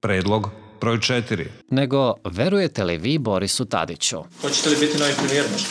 Predlog broj 4. Nego, verujete li vi Borisu Tadiću? Hoćete li biti novi premijer možda?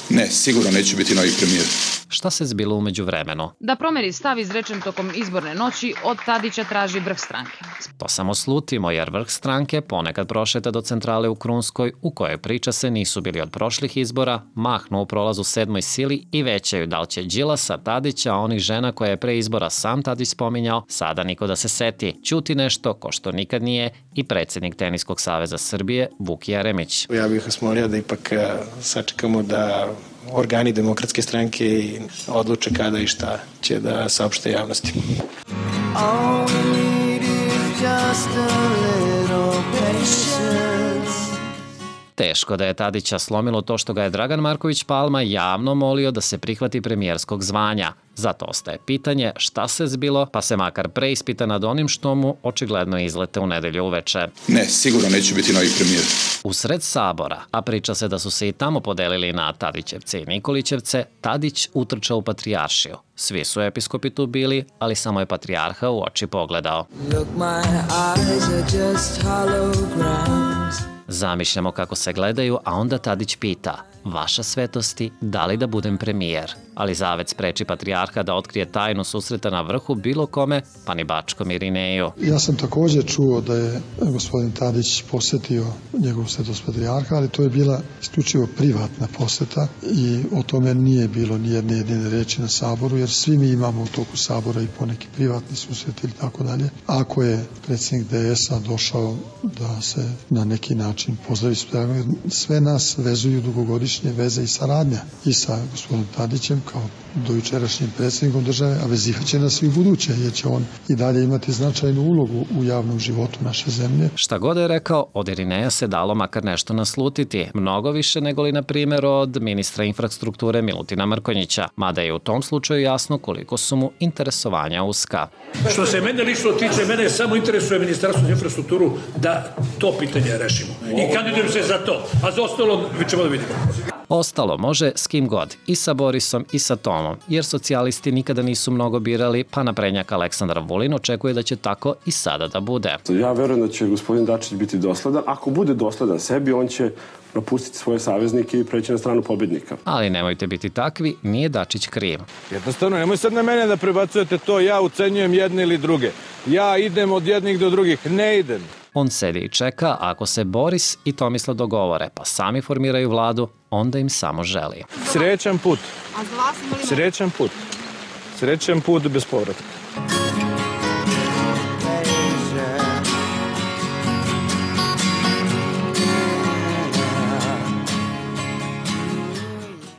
Ne, sigurno neću biti novi premijer. Šta se zbilo u međuvremenu? Da promeri stav izrečen tokom izborne noći, od Tadića traži vrh stranke. To samo slutimo, jer vrh stranke ponekad prošeta do centrale u Krunskoj, u kojoj priča se nisu bili od prošlih izbora, mahnu u prolazu 7. sili i većaju da li će Đilasa, Tadića, onih žena koje je pre izbora sam Tadić spominjao, sada niko da se seti. Ćuti nešto, ko što nikad nije, i predsjednik Teniskog saveza Srbije, Vuk Jeremić. Ja bih vas molio da ipak sačekamo da organi Demokratske stranke odluče kada i šta će da saopšte javnosti. Teško da je Tadića slomilo to što ga je Dragan Marković Palma javno molio da se prihvati premijerskog zvanja. Zato ostaje pitanje šta se zbilo, pa se makar preispita nad onim što mu očigledno izlete u nedelju uveče. Ne, sigurno neću biti novi premijer. U sred Sabora, a priča se da su se i tamo podelili na Tadićevce i Nikolićevce, Tadić utrčao u Patrijaršiju. Svi su episkopi tu bili, ali samo je patrijarha u oči pogledao. Zamišljamo kako se gledaju, a onda Tadić pita: vaša svetosti, da li da budem premijer? Ali zavet spreči patrijarha da otkrije tajnu susreta na vrhu bilo kome, pa ni Bačkom Irineju. Ja sam također čuo da je gospodin Tadić posetio njegovu svetost patrijarha, ali to je bila isključivo privatna poseta i o tome nije bilo ni jedne jedine reči na Saboru, jer svi mi imamo u toku Sabora i poneki privatni susret ili tako dalje. Ako je predsjednik DS-a došao da se na neki način pozdravi, sve nas vezuju dugogodišnje veze i saradnja i sa gospodinom Tadićem kao dojučerašnjim predsjednikom države, a vezivat će nas i u buduće, jer će on i dalje imati značajnu ulogu u javnom životu naše zemlje. Šta god je rekao, od Irineja se dalo makar nešto naslutiti, mnogo više nego li, na primjer, od ministra infrastrukture Milutina Mrkonjića, mada je u tom slučaju jasno koliko su mu interesovanja uska. Što se mene lično tiče, mene samo interesuje Ministarstvo za infrastrukturu da to pitanje rešimo. I kandidujem se za to, a za ostalo ćemo da vidimo. Ostalo može s kim god, i sa Borisom i sa Tomom, jer socijalisti nikada nisu mnogo birali, pa naprednjak Aleksandar Vulin očekuje da će tako i sada da bude. Ja verujem da će gospodin Dačić biti dosledan. Ako bude dosledan sebi, on će napustiti svoje saveznike i preći na stranu pobjednika. Ali nemojte biti takvi, nije Dačić kriv. Jednostavno, nemoj sad na mene da prebacujete to, ja ucenjujem jedne ili druge. Ja idem od jednih do drugih, ne idem. On sedi i čeka, ako se Boris i Tomislav dogovore, pa sami formiraju vladu, onda im samo želi. Srećan put. Srećan put. Srećan put bez povratka.